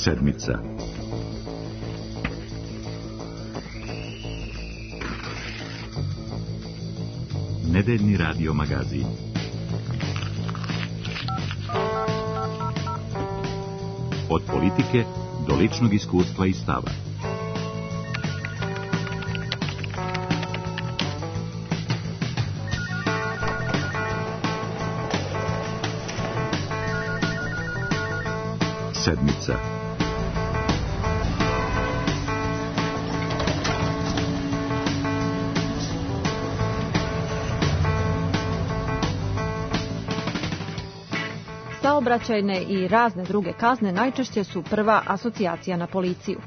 Sedmica. Nedeljni radio magazin. Od politike do ličnog iskustva i stava. Sedmica. Saobraćajne i razne druge kazne najčešće su prva asocijacija na policiju.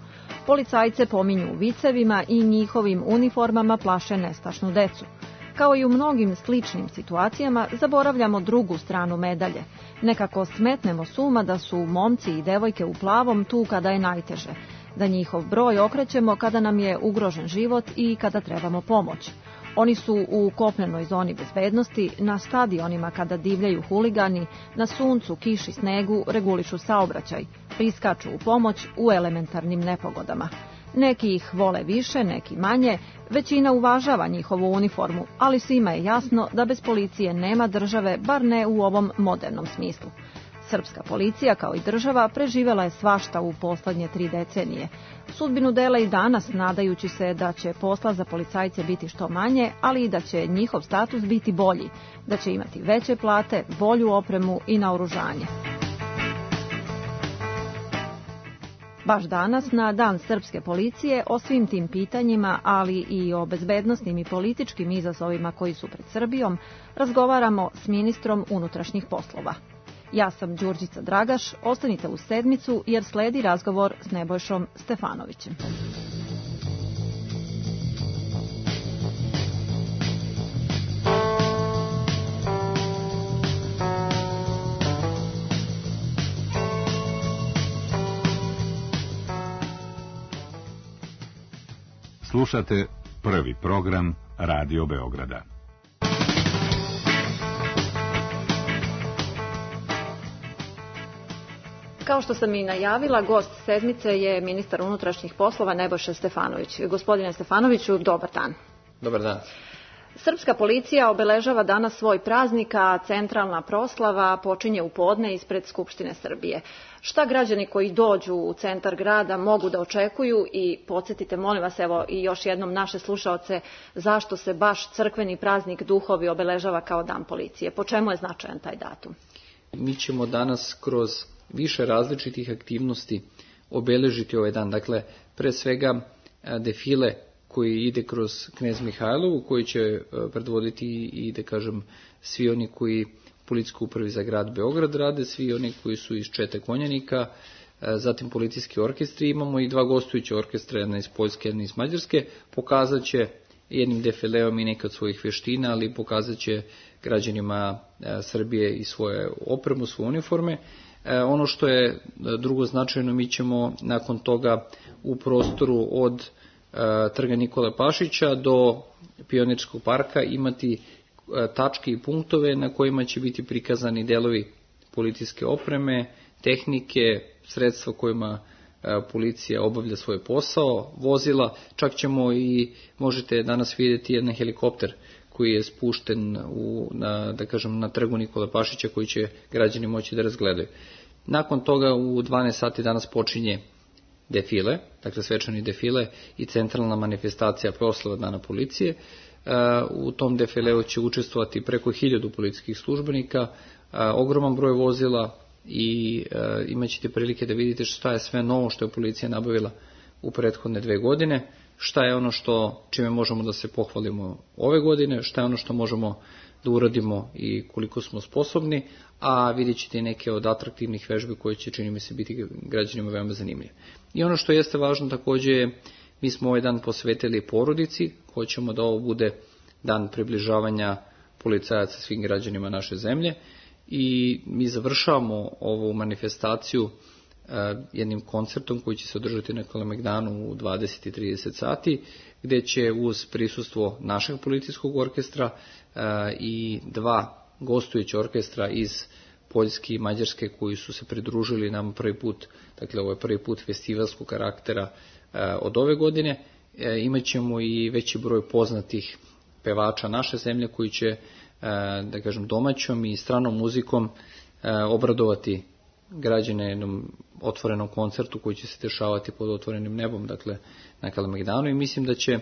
Policajce pominju vicevima i njihovim uniformama plaše nestašnu decu. Kao i u mnogim sličnim situacijama, zaboravljamo drugu stranu medalje. Nekako smetnemo s uma da su momci i devojke u plavom tu kada je najteže, da njihov broj okrećemo kada nam je ugrožen život i kada trebamo pomoć. Oni su u kopnenoj zoni bezbednosti, na stadionima kada divljaju huligani, na suncu, kiši, snegu regulišu saobraćaj, priskaču u pomoć u elementarnim nepogodama. Neki ih vole više, neki manje, većina uvažava njihovu uniformu, ali svima je jasno da bez policije nema države, bar ne u ovom modernom smislu. Srpska policija, kao i država, preživela je svašta u poslednje 3 decenije. Sudbinu dela i danas, nadajući se da će posla za policajce biti što manje, ali i da će njihov status biti bolji, da će imati veće plate, bolju opremu i naoružanje. Baš danas, na Dan srpske policije, o svim tim pitanjima, ali i o bezbednosnim i političkim izazovima koji su pred Srbijom, razgovaramo s ministrom unutrašnjih poslova. Ja sam Đurđica Dragaš, ostanite uz Sedmicu jer sledi razgovor s Nebojšom Stefanovićem. Slušate prvi program Radio Beograda. Kao što sam i najavila, gost Sedmice je ministar unutrašnjih poslova Nebojša Stefanović. Gospodine Stefanoviću, dobar dan. Dobar dan. Srpska policija obeležava danas svoj praznik, a centralna proslava počinje u podne ispred Skupštine Srbije. Šta građani koji dođu u centar grada mogu da očekuju i podsjetite, molim vas, evo i još jednom naše slušaoce, zašto se baš crkveni praznik Duhovi obeležava kao Dan policije? Po čemu je značajan taj datum? Mi ćemo danas kroz više različitih aktivnosti obeležiti ovaj dan. Dakle, pre svega defile koji ide kroz Knez Mihajlovu, koji će predvoditi i da kažem svi oni koji policijskoj upravi za grad Beograd rade, svi oni koji su iz Čete Konjanika, zatim policijski orkestri, imamo i 2 gostujuće orkestra, jedna iz Poljske, jedna iz Mađarske, pokazat će jednim defileom i neke od svojih veština, ali pokazat će građanima Srbije i svoje opremu, svoje uniforme. Ono što je drugo značajno, mi ćemo nakon toga u prostoru od Trga Nikole Pašića do Pionirskog parka imati tačke i punktove na kojima će biti prikazani delovi policijske opreme, tehnike, sredstva kojima policija obavlja svoj posao, vozila, čak ćemo i možete danas vidjeti jedan helikopter koji je spušten na Trgu Nikole Pašića, koji će građani moći da razgledaju. Nakon toga u 12 sati danas počinje defile, dakle svečani defile i centralna manifestacija proslava Dana policije. U tom defileu će učestvovati preko 1000 policijskih službenika, ogroman broj vozila i imat ćete prilike da vidite šta je sve novo što je policija nabavila u prethodne 2 godine, šta je ono čime možemo da se pohvalimo ove godine, šta je ono što možemo da uradimo i koliko smo sposobni, a vidjet ćete i neke od atraktivnih vežbi koje će, čini mi se, biti građanima veoma zanimljive. I ono što jeste važno takođe je, mi smo ovaj dan posvetili porodici, hoćemo da ovo bude dan približavanja policajaca svim građanima naše zemlje i mi završavamo ovu manifestaciju jednim koncertom koji će se održati na Kalemegdanu u 20:30 sati, gde će uz prisustvo našeg policijskog orkestra i 2 gostujuća orkestra iz Poljske i Mađarske koji su se pridružili nam prvi put, dakle ovo je prvi put festivalskog karaktera od ove godine. Imaćemo i veći broj poznatih pevača naše zemlje koji će, da kažem, domaćom i stranom muzikom obradovati građane jednom otvorenom koncertu koji će se dešavati pod otvorenim nebom, dakle na Kalemegdanu, i mislim da će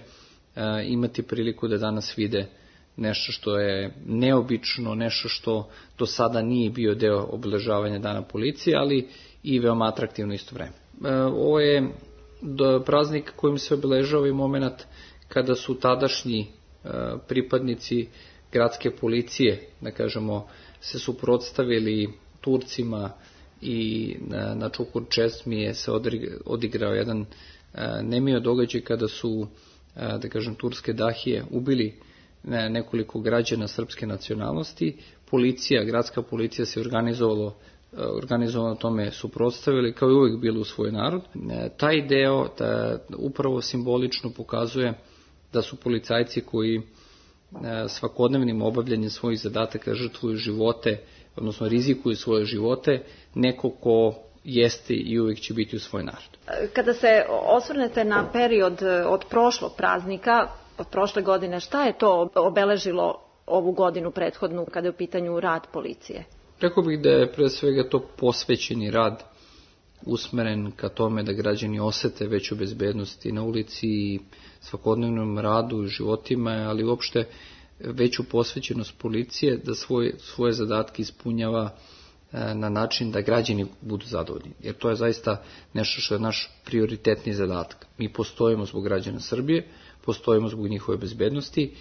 imati priliku da danas vide nešto što je neobično, nešto što do sada nije bio deo obeležavanja Dana policije, ali i veoma atraktivno isto vreme. Ovo je praznik kojim se obeležava i moment kada su tadašnji pripadnici gradske policije, da kažemo, se suprotstavili Turcima i na Čukur Česmi se odigrao jedan nemio događaj kada su, da kažem, turske dahije ubili nekoliko građana srpske nacionalnosti. Policija, gradska policija se organizovano tome suprotstavili, kao i uvijek bilo u svoj narod. Taj deo upravo simbolično pokazuje da su policajci koji svakodnevnim obavljanjem svojih zadataka žrtvuju živote, odnosno rizikuju svoje živote, neko ko jeste i uvijek će biti u svoj narod. Kada se osvrnete na period od prošlog praznika, od prošle godine, šta je to obeležilo ovu godinu prethodnu kada je u pitanju rad policije? Rekao bih da je pre svega to posvećeni rad usmeren ka tome da građani osete veću bezbednost i na ulici i svakodnevnom radu i životima, ali uopšte veću posvećenost policije da svoje zadatke ispunjava na način da građani budu zadovoljni. Jer to je zaista nešto što je naš prioritetni zadatak. Mi postojimo zbog građana Srbije, postojimo zbog njihove bezbednosti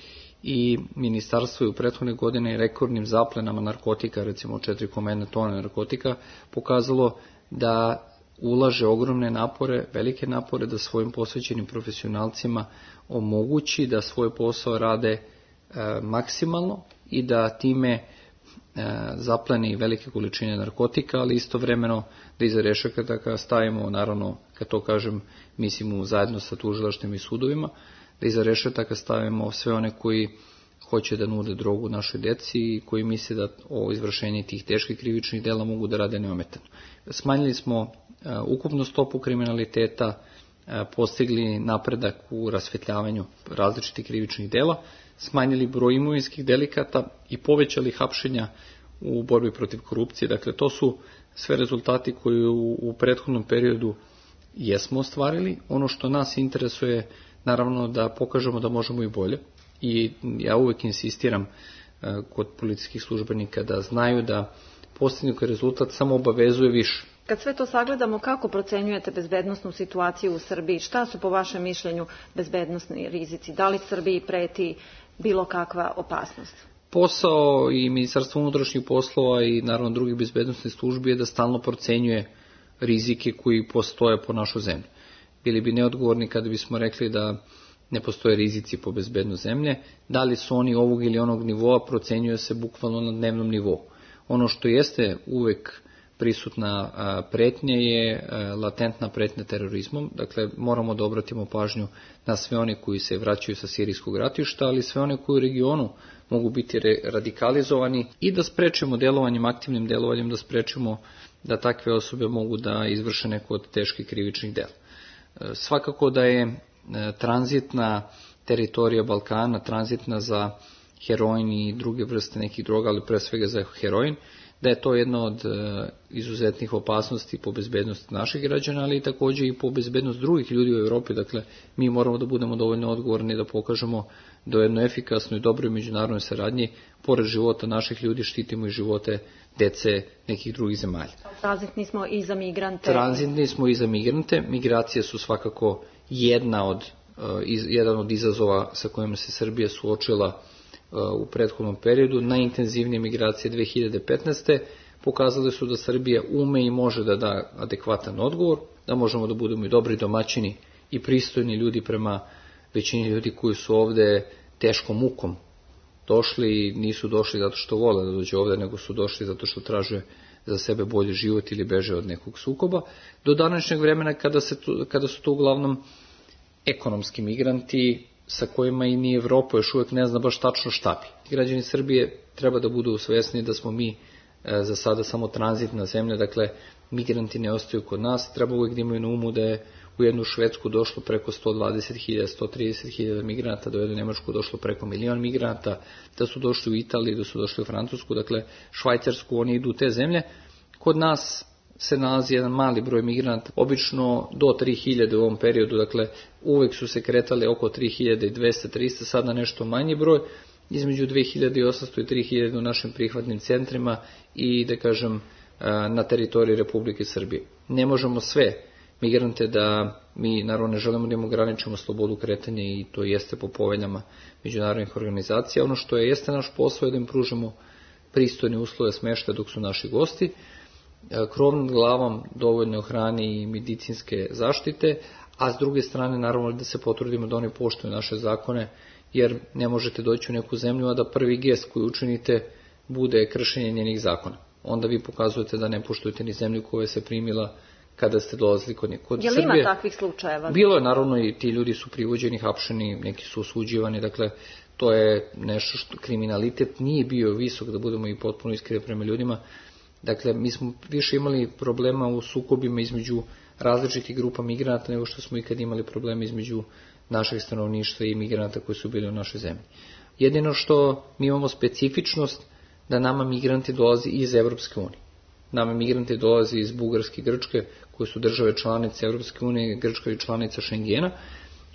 i ministarstvo je u prethodne godine rekordnim zaplenama narkotika, recimo 4,1 tone narkotika, pokazalo da ulaže ogromne napore, velike napore da svojim posvećenim profesionalcima omogući da svoj posao rade maksimalno i da time zapleni velike količine narkotika, ali istovremeno da iza rešetaka stavimo, naravno, kad to kažem, mislimo zajedno sa tužilaštvom i sudovima, da iza rešetaka stavimo sve one koji hoće da nude drogu našoj deci i koji misle da o izvršenju tih teških krivičnih dela mogu da rade neometano. Smanjili smo ukupnu stopu kriminaliteta, postigli napredak u rasvetljavanju različitih krivičnih dela, smanjili broj imovinskih delikata i povećali hapšenja u borbi protiv korupcije. Dakle, to su sve rezultati koji u prethodnom periodu jesmo ostvarili. Ono što nas interesuje, naravno, da pokažemo da možemo i bolje. I ja uvijek insistiram kod policijskih službenika da znaju da postignuti rezultat samo obavezuje više. Kad sve to sagledamo, kako procenjujete bezbednosnu situaciju u Srbiji? Šta su po vašem mišljenju bezbednosni rizici? Da li Srbiji preti bilo kakva opasnost? Posao i Ministarstva unutrašnjih poslova i naravno drugih bezbednosnih službi je da stalno procenjuje rizike koji postoje po našu zemlju. Bili bi neodgovorni kada bismo rekli da ne postoje rizici po bezbednost zemlje. Da li su oni ovog ili onog nivoa, procenjuje se bukvalno na dnevnom nivou. Ono što jeste uvek prisutna pretnja je latentna pretnja terorizmom. Dakle, moramo da obratimo pažnju na sve one koji se vraćaju sa sirijskog ratišta, ali sve one koji u regionu mogu biti radikalizovani i da sprečimo delovanjem, aktivnim delovanjem, da sprečimo da takve osobe mogu da izvrše neko od teških krivičnih dela. Svakako da je tranzitna teritorija Balkana, tranzitna za heroin i druge vrste nekih droga, ali pre svega za heroin, da je to jedna od izuzetnih opasnosti po bezbednost naših građana, ali i također i po bezbednost drugih ljudi u Evropi. Dakle, mi moramo da budemo dovoljno odgovorni da pokažemo da u jednoj efikasnoj i dobroj međunarodnoj saradnji, pored života naših ljudi, štitimo i živote dece nekih drugih zemalja. Tranzitni smo i za migrante. Tranzitni smo i za migrante. Migracije su svakako jedan od izazova sa kojima se Srbija suočila u prethodnom periodu. Najintenzivnije migracije 2015. pokazale su da Srbija ume i može da da adekvatan odgovor, da možemo da budemo i dobri domaćini i pristojni ljudi prema većini ljudi koji su ovde teškom mukom došli i nisu došli zato što vole da dođe ovde, nego su došli zato što traže za sebe bolji život ili beže od nekog sukoba, do današnjeg vremena kada su to uglavnom ekonomski migranti sa kojima i ni Evropa još uvijek ne zna baš tačno šta bi. Građani Srbije treba da budu svesni da smo mi za sada samo tranzitna zemlja, dakle migranti ne ostaju kod nas, treba uvijek da imaju na umu da je u jednu Švedsku došlo preko 120.000, 130.000 migranata, da je u Nemačku došlo preko 1 milion migranata, da su došli u Italiju, da su došli u Francusku, dakle Švajcarsku, oni idu u te zemlje. Kod nas se nalazi jedan mali broj migranata, obično do 3.000 u ovom periodu, dakle uvek su se kretali oko 3.200-300, sada nešto manji broj, između 2.800 i 3.000 u našim prihvatnim centrima i, da kažem, na teritoriji Republike Srbije. Ne možemo sve migrante da, mi naravno ne želimo da im ograničimo slobodu kretanja i to jeste po poveljama međunarodnih organizacija. Ono što jeste naš posao je da im pružimo pristojne uslove smeštaja dok su naši gosti, krov nad glavom, dovoljno hrane i medicinske zaštite, a s druge strane naravno da se potrudimo da oni poštuju naše zakone, jer ne možete doći u neku zemlju, a da prvi gest koji učinite bude kršenje njenih zakona. Onda vi pokazujete da ne poštujete ni zemlju koja se primila kada ste dolazili kod nje. Je li ima takvih slučajeva? Bilo je, naravno, i ti ljudi su privođeni, hapšeni, neki su osuđivani, dakle to je nešto što kriminalitet nije bio visok, da budemo i potpuno iskreni prema ljudima. Dakle, mi smo više imali problema u sukobima između različitih grupa migranata nego što smo ikad imali probleme između našeg stanovništva i migranata koji su bili u našoj zemlji. Jedino što mi imamo specifičnost da nama migranti dolazi iz Evropske unije. Nama migranti dolazi iz Bugarske i Grčke, koje su države članice Evropske unije, Grčka je članica Šengena,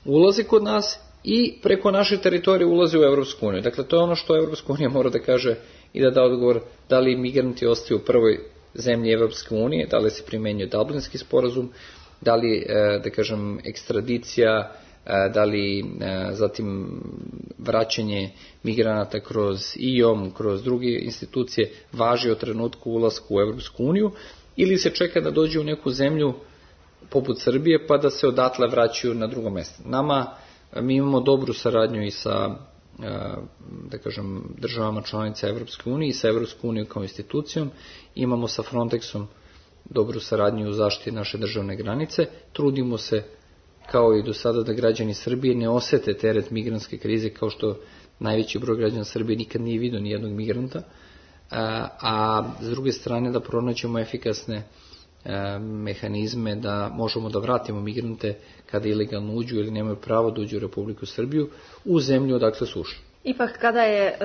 ulazi kod nas i preko naše teritorije ulazi u Evropsku uniju. Dakle, to je ono što Evropska unija mora da kaže i da da odgovor da li migranti ostaju u prvoj zemlji Evropske unije, da li se primenjuje Dublinski sporazum, da li, da kažem, ekstradicija, da li zatim vraćanje migranata kroz IOM, kroz druge institucije važi od trenutku ulasku u Evropsku uniju, ili se čeka da dođe u neku zemlju poput Srbije pa da se odatle vraćaju na drugo mjesto. Mi imamo dobru saradnju i sa, da kažem, državama članica Evropske unije i sa Evropskom unijom kao institucijom. Imamo sa Frontexom dobru saradnju u zaštiti naše državne granice. Trudimo se kao i do sada da građani Srbije ne osete teret migrantske krize, kao što najveći broj građana Srbije nikad nije vidio ni jednog migranta, a s druge strane da pronađemo efikasne mehanizme da možemo da vratimo migrante kada ilegalno uđu ili nemaju pravo da uđu u Republiku Srbiju u zemlju odakle su ušli. Ipak kada je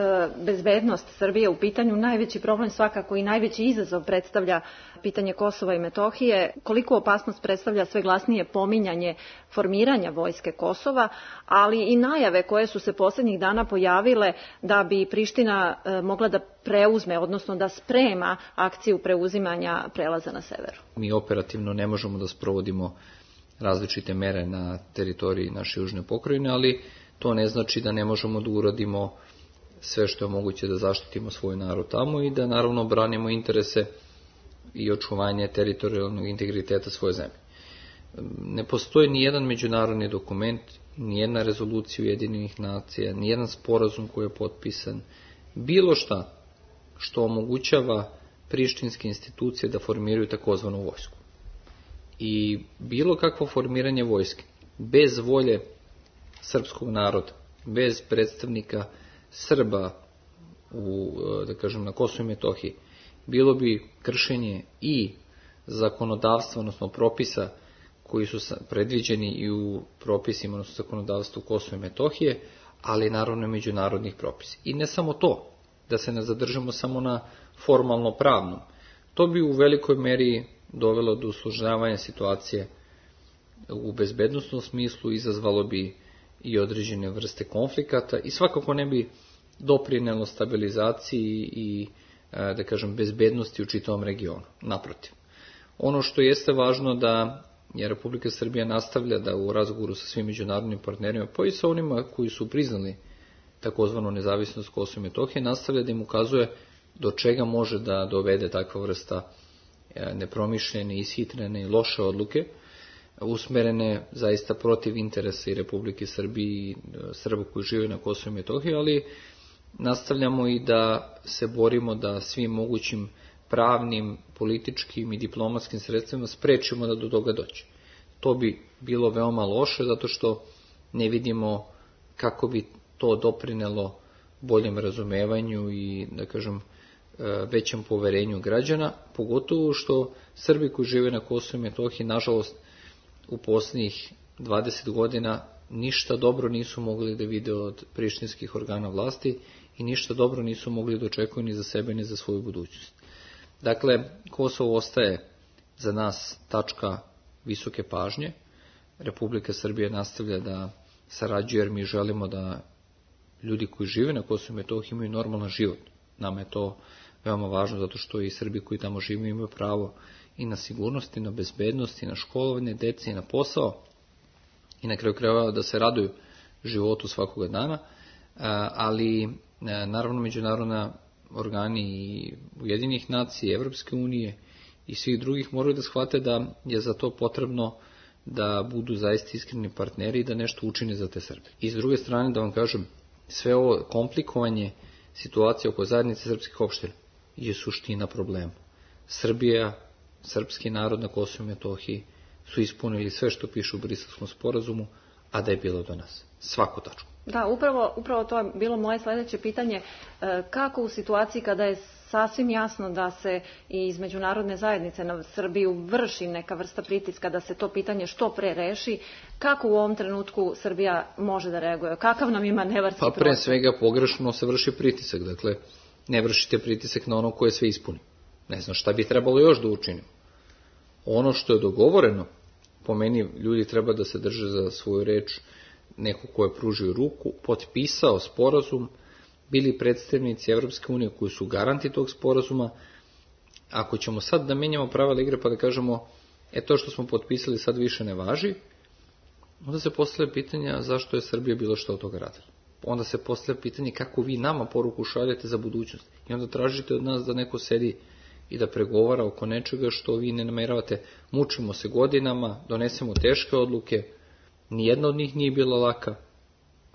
bezbednost Srbije u pitanju, najveći problem svakako i najveći izazov predstavlja pitanje Kosova i Metohije. Koliko opasnost predstavlja sve glasnije pominjanje formiranja vojske Kosova, ali i najave koje su se posljednjih dana pojavile da bi Priština mogla da preuzme, odnosno da sprema akciju preuzimanja prelaza na severu. Mi operativno ne možemo da sprovodimo različite mere na teritoriji naše južne pokrajine, ali to ne znači da ne možemo da uradimo sve što je moguće da zaštitimo svoj narod tamo i da naravno branimo interese i očuvanje teritorijalnog integriteta svoje zemlje. Ne postoji ni jedan međunarodni dokument, ni jedna rezolucija Ujedinjenih nacija, ni jedan sporazum koji je potpisan, bilo šta što omogućava prištinske institucije da formiraju takozvanu vojsku. I bilo kakvo formiranje vojske bez volje srpskog naroda, bez predstavnika Srba da kažem, na Kosovu i Metohiji, bilo bi kršenje i zakonodavstva, odnosno propisa koji su predviđeni i u propisima, odnosno zakonodavstvu Kosova i Metohije, ali naravno međunarodnih propisa. I ne samo to, da se ne zadržamo samo na formalno pravnom. To bi u velikoj meri dovelo do usložnjavanja situacije u bezbednosnom smislu, izazvalo bi i određene vrste konflikata i svakako ne bi doprinelo stabilizaciji i, da kažem, bezbednosti u čitavom regionu. Naprotiv. Ono što jeste važno da je Republika Srbija nastavlja da u razgovoru sa svim međunarodnim partnerima, pa i sa onima koji su priznali takozvanu nezavisnost Kosova i Metohije, nastavlja da im ukazuje do čega može da dovede takva vrsta nepromišljene, ishitrene i loše odluke, usmerene zaista protiv interesa i Republike Srbije i Srba koji žive na Kosovu i Metohiji, ali nastavljamo i da se borimo da svim mogućim pravnim, političkim i diplomatskim sredstvima sprečimo da do toga dođe. To bi bilo veoma loše zato što ne vidimo kako bi to doprinelo boljem razumevanju i, da kažem, većem poverenju građana, pogotovo što Srbi koji žive na Kosovu i Metohiji, nažalost, u posljednjih 20 godina ništa dobro nisu mogli da vide od prištinskih organa vlasti i ništa dobro nisu mogli da očekuju ni za sebe ni za svoju budućnost. Dakle, Kosovo ostaje za nas tačka visoke pažnje. Republika Srbije nastavlja da sarađuje jer mi želimo da ljudi koji žive na Kosovu i Metohiji imaju normalan život. Nama je to veoma važno zato što i Srbi koji tamo žive imaju pravo i na sigurnost, i na bezbednost, i na školovanje dece, i na posao, i na kraju krajeva da se raduju životu svakoga dana, ali naravno međunarodna organi i Ujedinjenih nacija, Evropske unije i svih drugih moraju da shvate da je za to potrebno da budu zaista iskreni partneri i da nešto učine za te Srbe. I s druge strane da vam kažem, sve ovo komplikovanje situacije oko zajednice srpskih opština je suština problema. Srbija, srpski narod na Kosovu i Metohiji su ispunili sve što piše u Briselskom sporazumu, a da je bilo do nas. Svaku tačku. Da, upravo to je bilo moje sledeće pitanje. Kako u situaciji kada je sasvim jasno da se i iz međunarodne zajednice na Srbiju vrši neka vrsta pritiska da se to pitanje što pre reši, kako u ovom trenutku Srbija može da reaguje? Kakav nam je manevarski prostor? Pa pre svega pogrešno se vrši pritisak. Dakle, ne vršite pritisak na ono koje sve ispuni. Ne znam šta bi trebalo još da učinimo. Ono što je dogovoreno, po meni ljudi treba da se drže za svoju reč, neko ko je pružio ruku, potpisao sporazum, bili predstavnici Evropske unije koji su garanti tog sporazuma. Ako ćemo sad da menjamo pravila igre pa da kažemo to što smo potpisali sad više ne važi, onda se postavlja pitanja zašto je Srbija bilo što od toga radila. Onda se postavlja pitanje kako vi nama poruku šaljete za budućnost. I onda tražite od nas da neko sedi i da pregovara oko nečega što vi ne nameravate. Mučimo se godinama, donesemo teške odluke, nijedna od njih nije bila laka.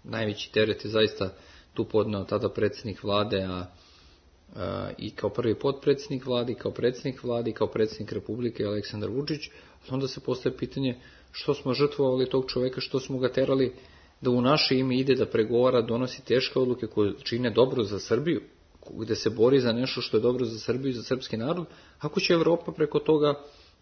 Najveći teret je zaista tu podneo tada predsjednik vlade, i kao prvi potpredsjednik vlade, i kao predsjednik vlade, i kao predsjednik Republike Aleksandar Vučić. Onda se postaje pitanje što smo žrtvovali tog čoveka, što smo ga terali da u naše ime ide da pregovara, donosi teške odluke koje čine dobro za Srbiju, gde se bori za nešto što je dobro za Srbiju i za srpski narod, ako će Evropa preko toga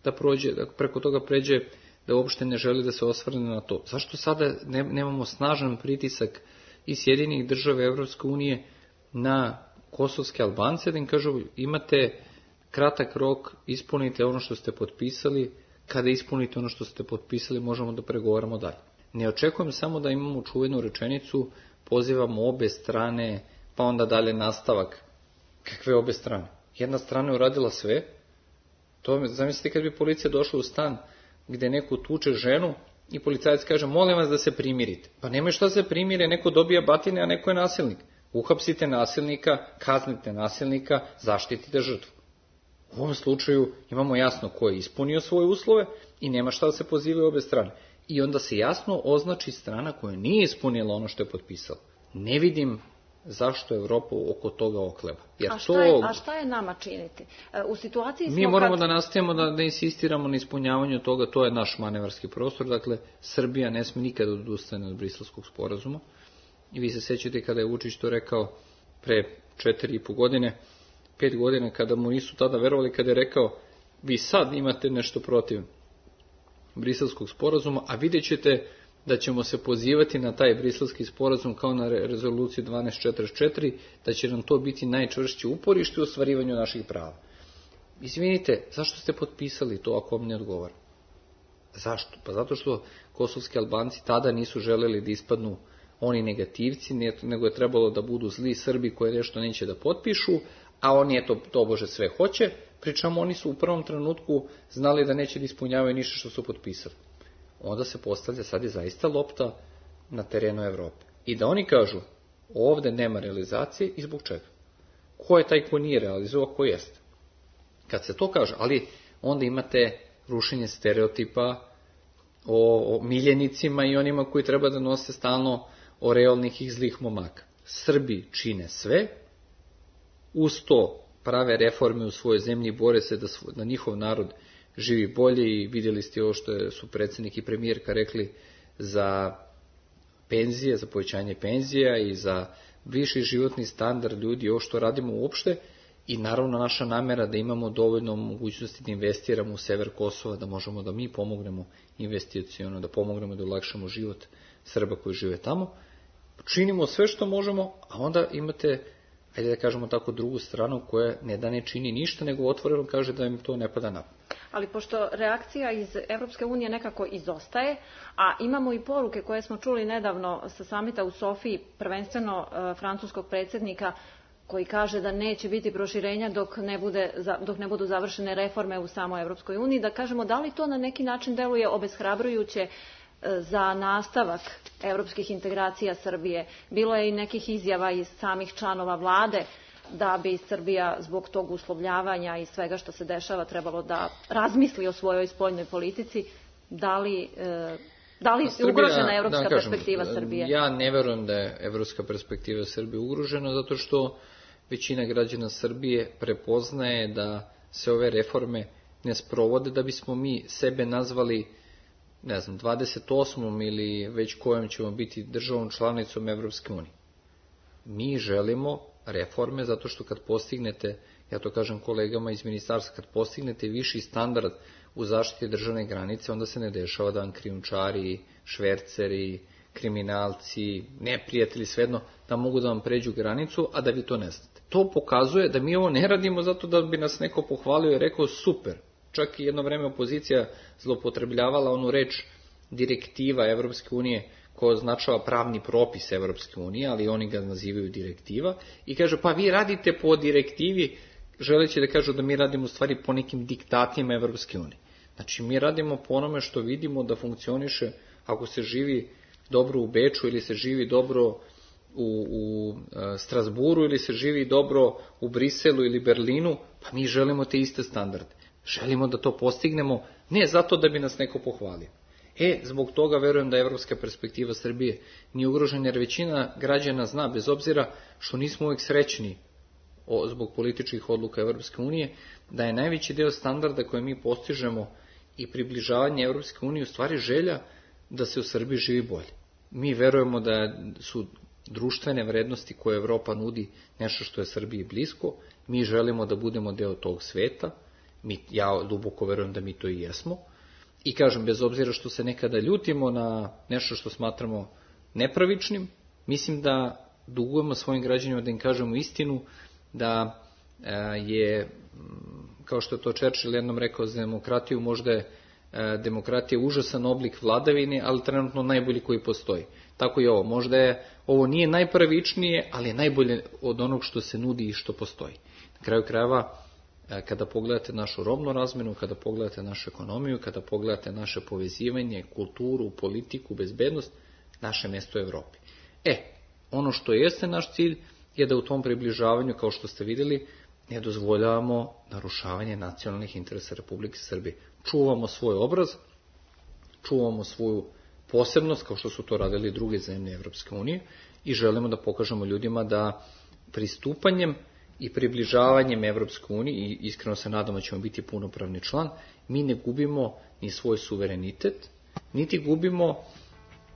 da prođe, preko toga pređe da uopšte ne želi da se osvrne na to. Zašto sada nemamo snažan pritisak i Sjedinjenih država Evropske unije na kosovske Albance, da im kažu imate kratak rok, ispunite ono što ste potpisali, kada ispunite ono što ste potpisali možemo da pregovaramo dalje. Ne očekujem samo da imamo čuvenu rečenicu, pozivamo obe strane, pa onda dalje nastavak. Kakve obe strane? Jedna strana je uradila sve. Zamislite kad bi policija došla u stan gde neko tuče ženu i policajac kaže molim vas da se primirite. Pa nemoj šta se primire, neko dobija batine, a neko je nasilnik. Uhapsite nasilnika, kaznite nasilnika, zaštitite žrtvu. U ovom slučaju imamo jasno ko je ispunio svoje uslove i nema šta da se pozivaju obe strane. I onda se jasno označi strana koja nije ispunila ono što je potpisala. Ne vidim zašto Evropa oko toga okleva. A šta je nama činiti? U situaciji mi moramo da nastavimo da insistiramo na ispunjavanju toga, to je naš manevarski prostor, dakle Srbija ne sme nikada odustane od Briselskog sporazuma. I vi se sećate kada je Vučić to rekao pre 4,5 godine, 5 godina, kada mu nisu tada verovali, kada je rekao vi sad imate nešto protiv Briselskog sporazuma, a vidjet ćete da ćemo se pozivati na taj briselski sporazum kao na rezoluciju 1244, da će nam to biti najčvršće uporište u ostvarivanju naših prava. Izvinite, zašto ste potpisali to ako vam ne odgovara? Zašto? Pa zato što kosovski Albanci tada nisu želeli da ispadnu oni negativci, nego je trebalo da budu zli Srbi koji nešto neće da potpišu, a oni to bože sve hoće, pričamo oni su u prvom trenutku znali da neće da ispunjavaju ništa što su potpisali. Onda se postavlja, sad je zaista lopta na terenu Evrope. I da oni kažu, ovde nema realizacije i zbog čega? Ko je taj ko nije realizovao, ko jeste? Kad se to kaže, ali onda imate rušenje stereotipa o miljenicima i onima koji treba da nose stalno oreolnih i zlih momaka. Srbi čine sve, uz to prave reforme u svojoj zemlji, bore se da njihov narod živi bolje i vidjeli ste ovo što su predsjednik i premijerka rekli za penzije, za povećanje penzija i za viši životni standard ljudi, ovo što radimo uopšte I naravno naša namera da imamo dovoljno mogućnosti da investiramo u sever Kosova, da možemo da mi pomognemo investiciono, da pomognemo da olakšamo život Srba koji žive tamo. Činimo sve što možemo, a onda imate, ajde da kažemo tako, drugu stranu koja ne da ne čini ništa, nego otvoreno kaže da im to ne pada na pamet. Ali pošto reakcija iz Evropske unije nekako izostaje, a imamo i poruke koje smo čuli nedavno sa samita u Sofiji, prvenstveno francuskog predsjednika, koji kaže da neće biti proširenja dok ne budu završene reforme u samoj Evropskoj uniji, da kažemo da li to na neki način deluje obeshrabrujuće za nastavak evropskih integracija Srbije. Bilo je i nekih izjava iz samih članova vlade da bi Srbija zbog tog uslovljavanja i svega što se dešava trebalo da razmisli o svojoj spoljnoj politici. Da li je ugrožena evropska perspektiva Srbije? Ja ne verujem da je evropska perspektiva Srbije ugrožena, zato što većina građana Srbije prepoznaje da se ove reforme ne sprovode da bismo mi sebe nazvali, ne znam, 28. ili već kojom ćemo biti državom članicom Evropske unije. Mi želimo reforme zato što kad postignete, ja to kažem kolegama iz ministarstva, kad postignete viši standard u zaštiti državne granice, onda se ne dešava da vam krijumčari, šverceri, kriminalci, neprijatelji, svejedno, da mogu da vam pređu granicu, a da vi to ne znate. To pokazuje da mi ovo ne radimo zato da bi nas neko pohvalio i rekao super. Čak i jedno vreme opozicija zloupotrebljavala onu reč direktiva Evropske unije koja označava pravni propis Evropske unije, ali oni ga nazivaju direktiva, i kaže pa vi radite po direktivi, želeći da kažu da mi radimo u stvari po nekim diktatima Evropske unije. Znači mi radimo po onome što vidimo da funkcioniše. Ako se živi dobro u Beču ili se živi dobro u Strasburu ili se živi dobro u Briselu ili Berlinu, pa mi želimo te iste standarde. Želimo da to postignemo, ne zato da bi nas neko pohvalio. Zbog toga verujem da je evropska perspektiva Srbije nije ugrožena, jer većina građana zna, bez obzira što nismo uvijek srećni zbog političkih odluka Evropske unije, da je najveći deo standarda koje mi postižemo i približavanje Evropske unije u stvari želja da se u Srbiji živi bolje. Mi verujemo da su društvene vrednosti koje Evropa nudi nešto što je Srbiji blisko, mi želimo da budemo deo tog sveta, ja duboko verujem da mi to i jesmo, i kažem, bez obzira što se nekada ljutimo na nešto što smatramo nepravičnim, mislim da dugujemo svojim građanima da im kažemo istinu, da je, kao što je to Churchill jednom rekao za demokratiju, možda je demokratija užasan oblik vladavine, ali trenutno najbolji koji postoji. Tako i ovo. Možda ovo nije najpravičnije, ali je najbolje od onog što se nudi i što postoji. Na kraju krajeva, kada pogledate našu robnu razmenu, kada pogledate našu ekonomiju, kada pogledate naše povezivanje, kulturu, politiku, bezbednost, naše mesto je u Evropi. Ono što jeste naš cilj je da u tom približavanju, kao što ste vidjeli, ne dozvoljavamo narušavanje nacionalnih interesa Republike Srbije. Čuvamo svoj obraz, čuvamo svoju posebnost, kao što su to radili druge zemlje Evropske unije, i želimo da pokažemo ljudima da pristupanjem i približavanjem Evropske unije, i iskreno se nadamo da ćemo biti punopravni član, mi ne gubimo ni svoj suverenitet, niti gubimo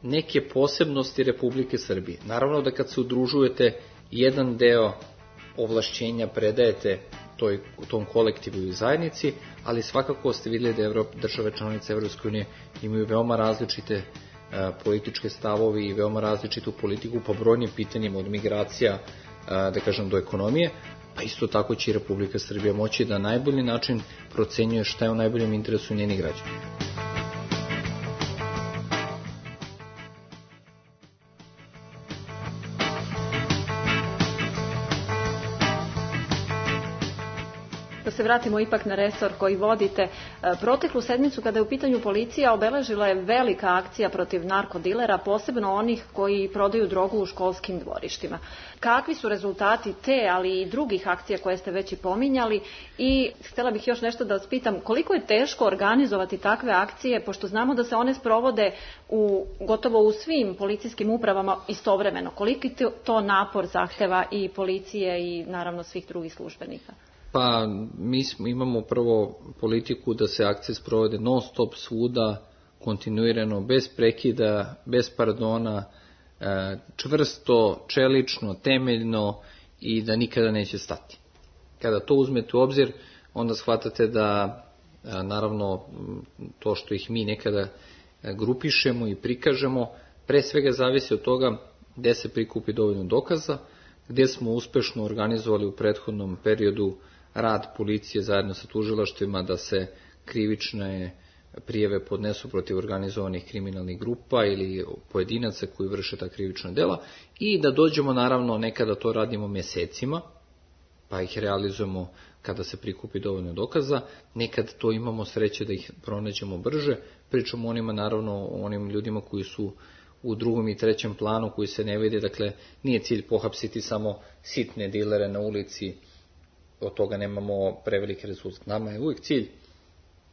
neke posebnosti Republike Srbije. Naravno da kad se udružujete, jedan deo ovlašćenja predajete tom kolektivu i zajednici, ali svakako ste vidjeli da države članice Evropske unije imaju veoma različite političke stavovi i veoma različitu politiku po brojnim pitanjima, od migracija, da kažem, do ekonomije, pa isto tako će i Republika Srbija moći da na najbolji način procenjuje šta je u najboljem interesu njenih građana. Da se vratimo ipak na resor koji vodite. Proteklu sedmicu, kada je u pitanju policija, obeležila je velika akcija protiv narkodilera, posebno onih koji prodaju drogu u školskim dvorištima. Kakvi su rezultati te, ali i drugih akcija koje ste već i pominjali? I htjela bih još nešto da vas pitam, koliko je teško organizovati takve akcije, pošto znamo da se one sprovode gotovo u svim policijskim upravama istovremeno. Koliki to napor zahteva i policije i naravno svih drugih službenika? Pa mi imamo prvo politiku da se akcije sprovode non stop svuda, kontinuirano, bez prekida, bez pardona, čvrsto, čelično, temeljno, i da nikada neće stati. Kada to uzmete u obzir, onda shvatate da naravno to što ih mi nekada grupišemo i prikažemo, pre svega zavisi od toga gde se prikupi dovoljno dokaza, gde smo uspešno organizovali u prethodnom periodu rad policije zajedno sa tužilaštvima da se krivične prijave podnesu protiv organizovanih kriminalnih grupa ili pojedinaca koji vrše ta krivična dela i da dođemo, naravno, nekada to radimo mesecima, pa ih realizujemo kada se prikupi dovoljno dokaza, nekad to imamo sreće da ih pronađemo brže, pričamo onima, naravno, o onim ljudima koji su u drugom i trećem planu, koji se ne vide, dakle, nije cilj pohapsiti samo sitne dilere na ulici, od toga nemamo prevelike rezultate. Nama je uvijek cilj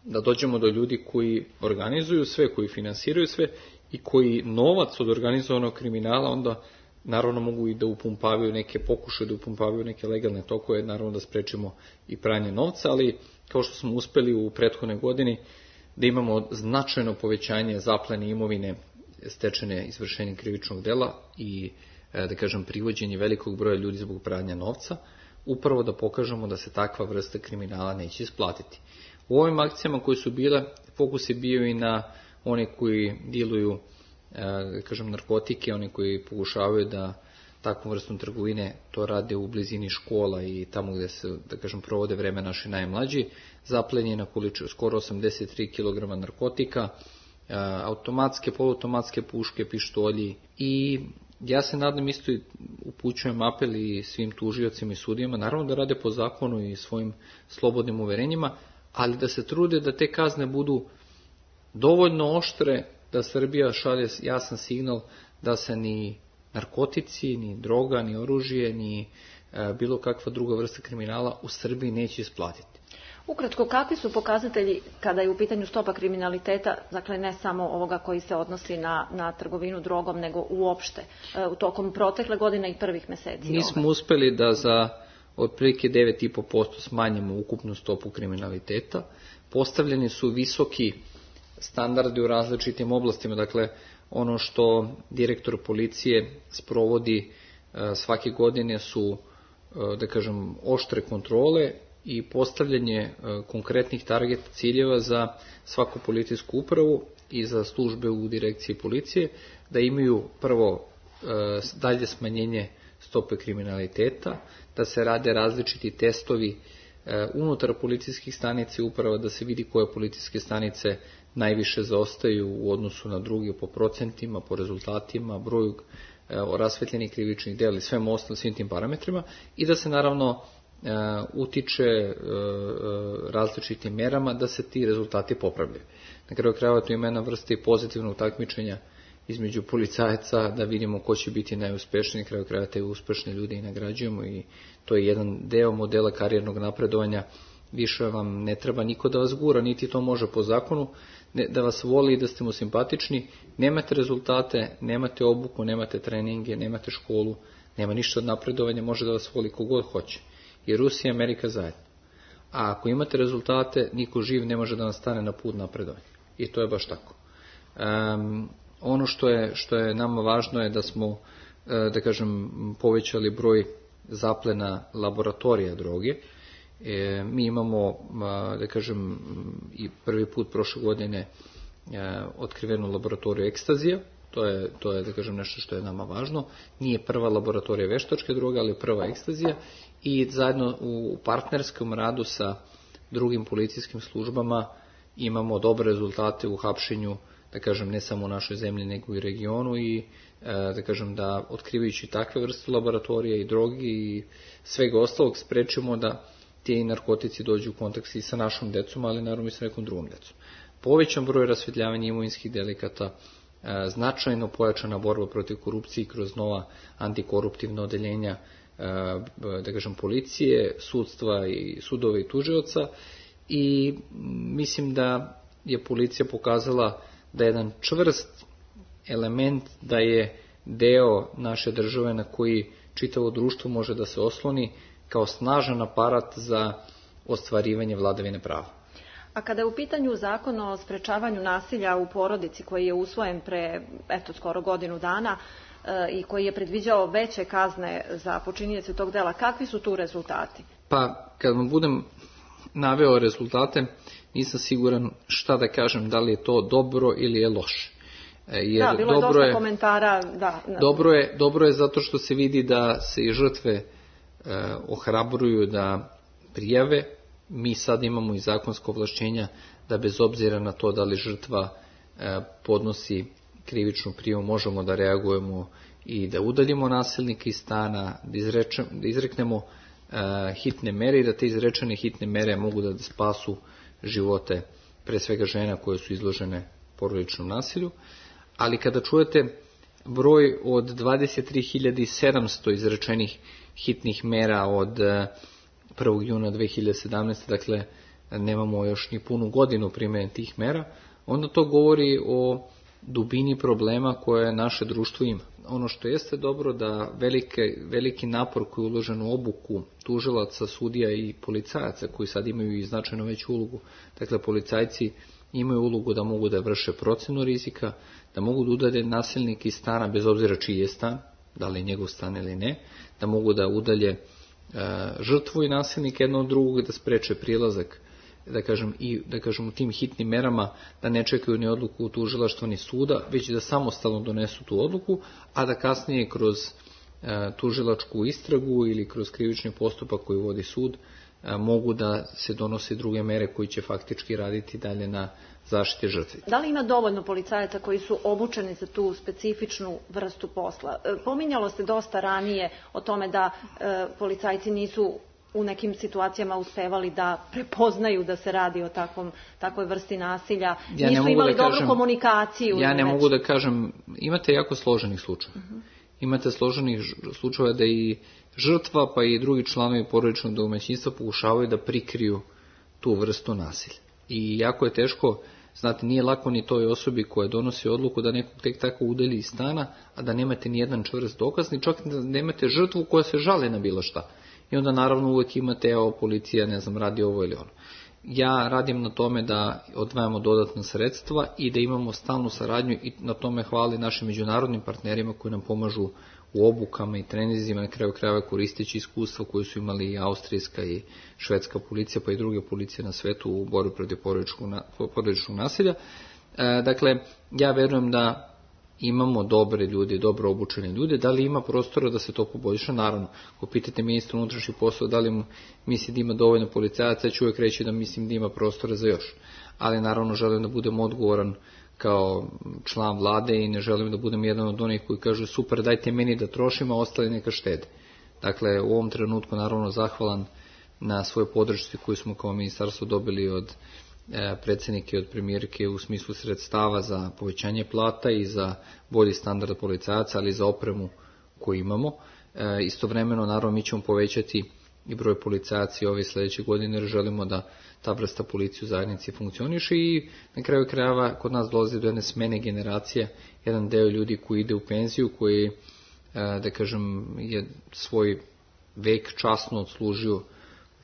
da dođemo do ljudi koji organizuju sve, koji finansiraju sve i koji novac od organizovanog kriminala onda naravno mogu i da upumpavaju neke pokušaje, da upumpavaju neke legalne tokove, naravno da sprečimo i pranje novca, ali kao što smo uspeli u prethodnoj godini da imamo značajno povećanje zaplene imovine stečene izvršenjem krivičnog dela i, da kažem, privođenje velikog broja ljudi zbog pranja novca, upravo da pokažemo da se takva vrsta kriminala neće isplatiti. U ovim akcijama koje su bile, fokus je bio i na one koji diluju, da kažem, narkotike, oni koji pokušavaju da takvom vrstom trgovine to rade u blizini škola i tamo gde se, da kažem, provode vreme naši najmlađi. Zaplen je na količinu skoro 83 kg narkotika, automatske, poluautomatske puške, pištolji i ja se nadam, isto i upućujem apel i svim tužiocima i sudijama, naravno da rade po zakonu i svojim slobodnim uverenjima, ali da se trude da te kazne budu dovoljno oštre da Srbija šalje jasan signal da se ni narkotici, ni droga, ni oružje, ni bilo kakva druga vrsta kriminala u Srbiji neće isplatiti. Ukratko, kakvi su pokazatelji kada je u pitanju stopa kriminaliteta, dakle ne samo ovoga koji se odnosi na trgovinu drogom, nego uopšte u tokom protekle godine i prvih meseci? Mi smo uspeli da za otprilike 9,5% smanjimo ukupnu stopu kriminaliteta. Postavljeni su visoki standardi u različitim oblastima, dakle ono što direktor policije sprovodi svake godine su, da kažem, oštre kontrole i postavljanje konkretnih target ciljeva za svaku policijsku upravu i za službe u direkciji policije, da imaju prvo dalje smanjenje stope kriminaliteta, da se rade različiti testovi unutar policijskih stanica i uprava, da se vidi koje policijske stanice najviše zaostaju u odnosu na druge po procentima, po rezultatima, broju rasvetljenih krivičnih dela i svim tim parametrima i da se naravno utiče različitim merama da se ti rezultati popravljaju. Na kraju krajeva to ima jedna vrsta i pozitivnog takmičenja između policajaca da vidimo ko će biti najuspešniji. Na kraju krajeva te uspešne ljude i nagrađujemo i to je jedan deo modela karijernog napredovanja. Više vam ne treba niko da vas gura, niti to može po zakonu, da vas voli i da ste mu simpatični. Nemate rezultate, nemate obuku, nemate treninge, nemate školu, nema ništa od napredovanja, može da vas voli kogod hoće. I Rusija i Amerika zajedno. A ako imate rezultate, niko živ ne može da vam stane na put napredovanja. I to je baš tako. Ono što je nama važno je da smo, da kažem, povećali broj zaplena laboratorija droge. Mi imamo, da kažem, i prvi put prošle godine otkrivenu laboratoriju ekstazija. To je, da kažem, nešto što je nama važno. Nije prva laboratorija veštačke droge, ali prva ekstazija. I zajedno u partnerskom radu sa drugim policijskim službama imamo dobre rezultate u hapšenju, da kažem, ne samo u našoj zemlji, nego i regionu i da kažem da otkrivajući takve vrste laboratorija i drogi i svega ostalog sprečimo da ti narkotici dođu u kontakt i sa našom decom, ali naravno i sa nekom drugom decom. Povećan broj rasvetljavanja imovinskih delikata, značajno pojačana borba protiv korupcije kroz nova antikoruptivna odeljenja, da kažem, policije, sudstva i sudova i tužioca i mislim da je policija pokazala da je jedan čvrst element, da je deo naše države na koji čitavo društvo može da se osloni kao snažan aparat za ostvarivanje vladavine prava. A kada je u pitanju zakon o sprečavanju nasilja u porodici koji je usvojen pre skoro godinu dana i koji je predviđao veće kazne za počinioce tog dela, kakvi su tu rezultati? Pa kad vam budem naveo rezultate, nisam siguran šta da kažem, da li je to dobro ili je loše. Jer bilo je dosta komentara. Dobro je zato što se vidi da se i žrtve ohrabruju da prijave. Mi sad imamo i zakonsko ovlašćenja da bez obzira na to da li žrtva podnosi krivičnu prijavu, možemo da reagujemo i da udaljimo nasilnika iz stana, da izreknemo hitne mere i da te izrečene hitne mere mogu da spasu živote pre svega žena koje su izložene porodičnom nasilju. Ali kada čujete broj od 23.700 izrečenih hitnih mera od 1. juna 2017. dakle nemamo još ni punu godinu primjene tih mera, onda to govori o dubini problema koje naše društvo ima. Ono što jeste dobro da veliki napor koji je uložen u obuku tužilaca, sudija i policajaca koji sad imaju i značajno veću ulogu. Dakle, policajci imaju ulogu da mogu da vrše procenu rizika, da mogu da udalje nasilnika iz stana bez obzira čiji je stan, da li je njegov stan ili ne, da mogu da udalje žrtvu i nasilnika jedno od drugog, da spreče prilazak, da kažem u tim hitnim merama, da ne čekaju ni odluku tužilaštva ni suda, već da samostalno donesu tu odluku, a da kasnije kroz tužilačku istragu ili kroz krivični postupak koji vodi sud mogu da se donose druge mere koji će faktički raditi dalje na zaštite žrtve. Da li ima dovoljno policajaca koji su obučeni za tu specifičnu vrstu posla? Pominjalo se dosta ranije o tome da policajci nisu u nekim situacijama uspevali da prepoznaju da se radi o takvoj vrsti nasilja, nisu imali dobru komunikaciju. Ja ne mogu da kažem, imate jako složenih slučajeva. Imate složenih slučajeva da i žrtva pa i drugi članovi porodičnog domaćinstva pokušavaju da prikriju tu vrstu nasilja. I jako je teško, znate, nije lako ni toj osobi koja donosi odluku da nekog tek tako udalji iz stana, a da nemate ni jedan čvrst dokaz, ni čak da nemate žrtvu koja se žali na bilo šta. I onda naravno uvek imate, evo, policija, ne znam, radi ovo ili ono. Ja radim na tome da odvajamo dodatna sredstva i da imamo stalnu saradnju i na tome hvali našim međunarodnim partnerima koji nam pomažu u obukama i treninzima, na kraju krajeva koristeći iskustva koje su imali i austrijska i švedska policija, pa i druge policije na svetu u borbi protiv porodičnog nasilja. Dakle, ja verujem da imamo dobre ljude, dobro obučene ljude. Da li ima prostora da se to poboljša? Naravno. Ako pitate ministra unutrašnjih poslova da li misli da ima dovoljno policajaca, ja ću uvijek reći da mislim da ima prostora za još. Ali naravno želim da budem odgovoran kao član vlade i ne želim da budem jedan od onih koji kažu super, dajte meni da trošim, a ostali neka štede. Dakle, u ovom trenutku naravno zahvalan na svoj podršci koju smo kao ministarstvo dobili od predsjednike i od premijerke u smislu sredstava za povećanje plata i za bolji standard policajaca, ali i za opremu koju imamo. Istovremeno, naravno, mi ćemo povećati i broj policajaca ove sljedeće godine jer želimo da ta vrsta policije u zajednici funkcioniše i na kraju krajeva kod nas dolazi do jedne smene generacije, jedan deo ljudi koji ide u penziju, koji, da kažem, je svoj vek časno odslužio u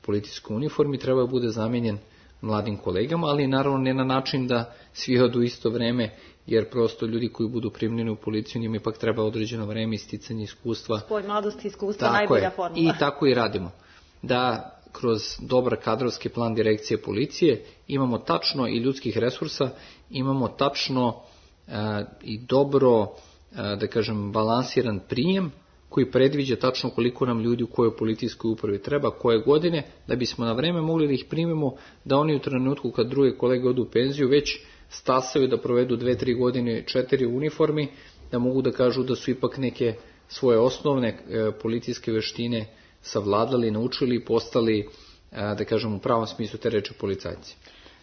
policijskoj uniformi, treba da bude zamenjen mladim kolegama, ali naravno ne na način da svi odu isto vreme, jer prosto ljudi koji budu primljeni u policiju njima ipak treba određeno vreme i sticanje iskustva. Spoj mladosti i iskustva, najbolja formula. I tako i radimo. Da kroz dobar kadrovski plan direkcije policije imamo tačno i ljudskih resursa, imamo tačno i dobro, da kažem, balansiran prijem koji predviđa tačno koliko nam ljudi u kojoj policijskoj upravi treba, koje godine, da bismo na vreme mogli da ih primimo, da oni u trenutku kad druge kolege odu u penziju već stasaju da provedu 2-3 godine 4 u uniformi, da mogu da kažu da su ipak neke svoje osnovne policijske veštine savladali, naučili i postali, da kažem, u pravom smislu te reči policajci.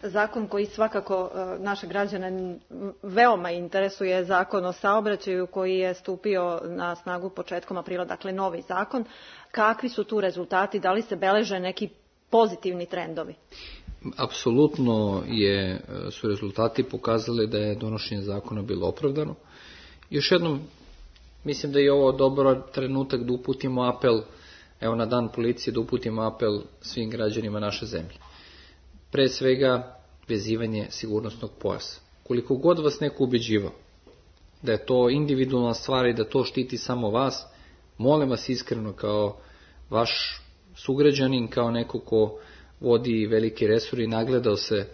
Zakon koji svakako naše građane veoma interesuje, zakon o saobraćaju koji je stupio na snagu početkom aprila, dakle novi zakon. Kakvi su tu rezultati? Da li se beleže neki pozitivni trendovi? Apsolutno su rezultati pokazali da je donošenje zakona bilo opravdano. Još jednom, mislim da je ovo dobar trenutak da uputimo apel, evo na dan policije, da uputimo apel svim građanima naše zemlje. Pre svega, vezivanje sigurnosnog pojasa. Koliko god vas neko ubeđivao da je to individualna stvar i da to štiti samo vas, molim vas iskreno kao vaš sugrađanin, kao neko ko vodi veliki resor i nagledao se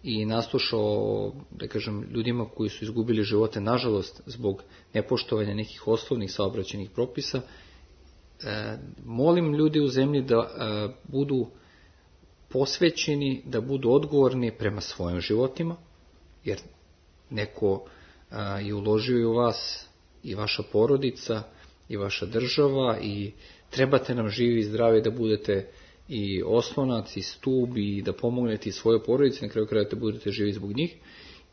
i naslušao, da kažem, ljudima koji su izgubili živote, nažalost, zbog nepoštovanja nekih osnovnih saobraćajnih propisa, molim ljudi u zemlji da budu posvećeni, da budu odgovorni prema svojim životima, jer neko je uložio i u vas, i vaša porodica, i vaša država, i trebate nam živi i zdravi da budete i oslonac, i stub, i da pomognete i svoje porodice, na kraju kraja da budete živi zbog njih.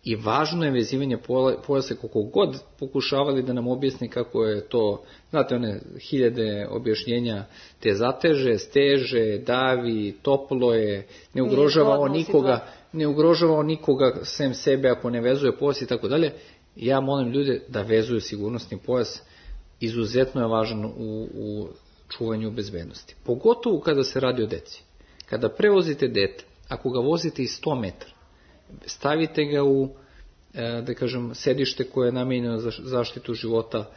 I važno je vezivanje pojasa, koliko god pokušavali da nam objasni kako je to, znate, one hiljade objašnjenja, te zateže, steže, davi, toplo je, ne ugrožava on nikoga sem sebe ako ne vezuje pojas i tako dalje. Ja molim ljude da vezuju sigurnosni pojas, izuzetno je važan u čuvanju bezbednosti. Pogotovo kada se radi o deci. Kada prevozite dete, ako ga vozite i 100 metara, stavite ga u, da kažem, sedište koje je namijenjeno za zaštitu života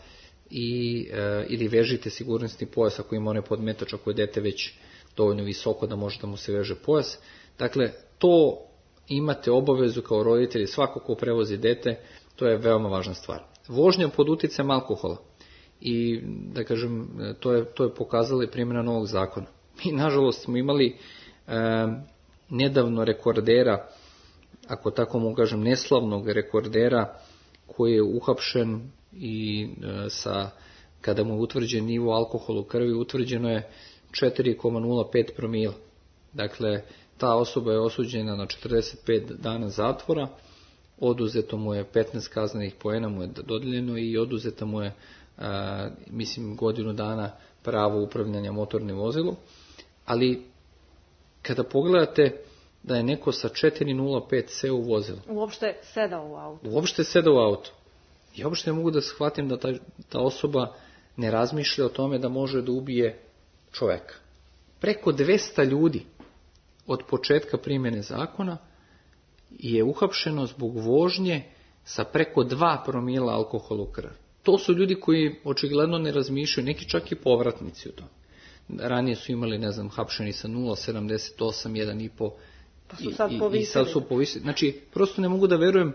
ili vežite sigurnosni pojas ako ima onaj podmetač, ako je dete već dovoljno visoko da može da mu se veže pojas. Dakle, to imate obavezu kao roditelji, svako ko prevozi dete, to je veoma važna stvar. Vožnja pod uticajem alkohola. I, da kažem, to je pokazala i primjena novog zakona. Mi, nažalost, smo imali nedavno rekordera, ako tako mogu kažem, neslavnog rekordera, koji je uhapšen i kada mu je utvrđen nivo alkohola u krvi, utvrđeno je 4,05 promila. Dakle, ta osoba je osuđena na 45 dana zatvora, oduzeto mu je 15 kaznenih poena mu je dodeljeno i oduzeta mu je godinu dana pravo upravljanja motornim vozilom. Ali kada pogledate da je neko sa 4,05 seo u vozilo, uopšte sedao u auto, ja uopšte ne mogu da shvatim da ta osoba ne razmišlja o tome da može da ubije čoveka. Preko 200 ljudi od početka primjene zakona je uhapšeno zbog vožnje sa preko 2 promila alkohola u krvi. To su ljudi koji očigledno ne razmišljaju, neki čak i povratnici u tome. Ranije su imali, ne znam, hapšeni sa 0,78, 1,5 i sad su povisili. Znači, prosto ne mogu da verujem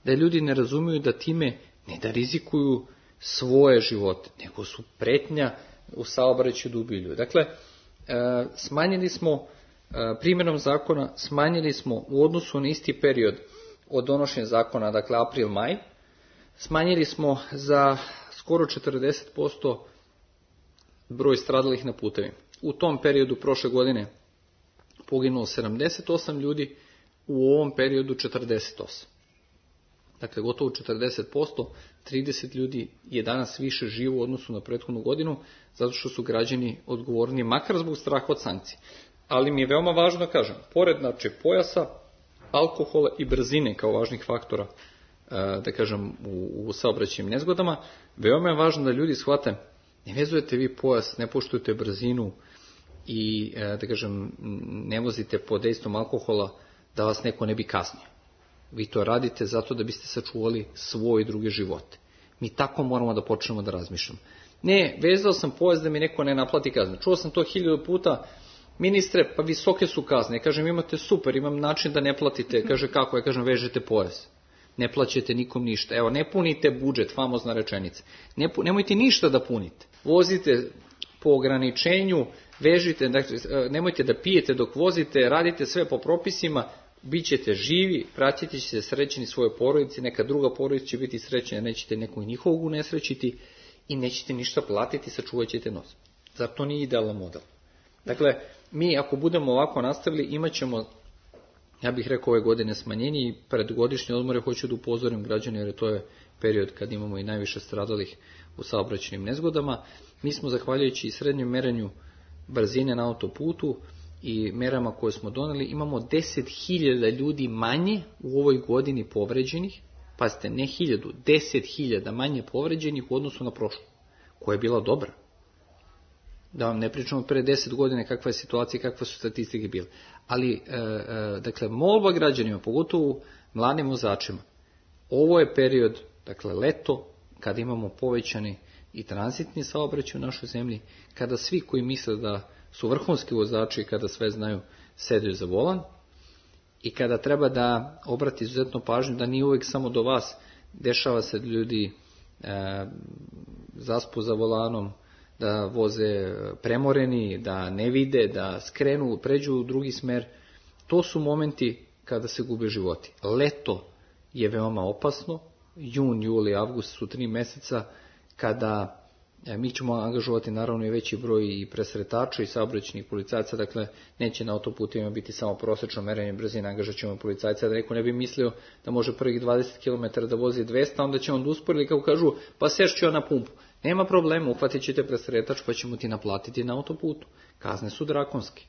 da ljudi ne razumiju da time ne da rizikuju svoje živote, nego su pretnja u saobraćaju da ubiju ljudi. Dakle, smanjili smo primjenom zakona, smanjili smo u odnosu na isti period od donošenja zakona, dakle april-maj, smanjili smo za skoro 40% broj stradalih na putevima. U tom periodu prošle godine poginulo 78 ljudi, u ovom periodu 48. Dakle, gotovo 40%, 30 ljudi je danas više živo u odnosu na prethodnu godinu, zato što su građani odgovorni, makar zbog straha od sankcije. Ali mi je veoma važno da kažem, pored pojasa, alkohola i brzine kao važnih faktora, da kažem, u saobraćajnim nezgodama, veoma je važno da ljudi shvate, ne vezujete vi pojas, ne poštujete brzinu i, da kažem, ne vozite pod dejstvom alkohola da vas neko ne bi kaznio. Vi to radite zato da biste sačuvali svoj i druge živote. Mi tako moramo da počnemo da razmišljamo. Ne, vezao sam pojas da mi neko ne naplati kaznu. Čuo sam to 1000 puta, ministre, pa visoke su kazne. Ja kažem, imate super, imam način da ne platite. Kaže, kako? Ja kažem, vežete pojas. Ne plaćate nikom ništa. Evo, ne punite budžet, famozna rečenica. Nemojte ništa da punite. Vozite po ograničenju, vežite, dakle, nemojte da pijete dok vozite, radite sve po propisima, bit ćete živi, pratit ćete se srećeni svoje porodici, neka druga porodica će biti srećena, nećete nekog njihovog unesrećiti i nećete ništa platiti, sačuvat ćete nos. Zar to nije idealan model? Dakle, mi ako budemo ovako nastavili, imat ćemo, ja bih rekao, ove godine smanjenje i pred godišnje odmore hoću da upozorim građane, jer to je period kad imamo i najviše stradalih u saobraćajnim nezgodama. Mi smo, zahvaljujući i srednjem merenju brzine na autoputu i merama koje smo doneli, imamo 10.000 ljudi manje u ovoj godini povređenih, pazite, ne 1000, 10.000 manje povređenih u odnosu na prošlu, koja je bila dobra. Da vam ne pričamo pre 10 godina kakva je situacija i kakve su statistike bile. Ali, dakle, molba građanima, pogotovo mladim vozačima, ovo je period, dakle, leto, kada imamo povećani i tranzitni saobraćaj u našoj zemlji, kada svi koji misle da su vrhunski vozači kada sve znaju, sedaju za volan i kada treba da obrati izuzetno pažnju da nije uvijek samo do vas, dešava se da ljudi zaspu za volanom, da voze premoreni, da ne vide, da skrenu, pređu u drugi smer. To su momenti kada se gube životi. Leto je veoma opasno, jun, juli, avgust su 3 meseca kada mi ćemo angažovati naravno i veći broj i presretača i saobraćajnih policajaca, dakle neće na autoputima biti samo prosečno merenje brzine, angažat ćemo policajca, da neko ne bi mislio da može prvih 20 km da vozi 200, onda će on da uspori, kako kažu, pa sešću ja na pumpu. Nema problema, uhvatit ćete presretač pa ćemo ti naplatiti na autoputu. Kazne su drakonske.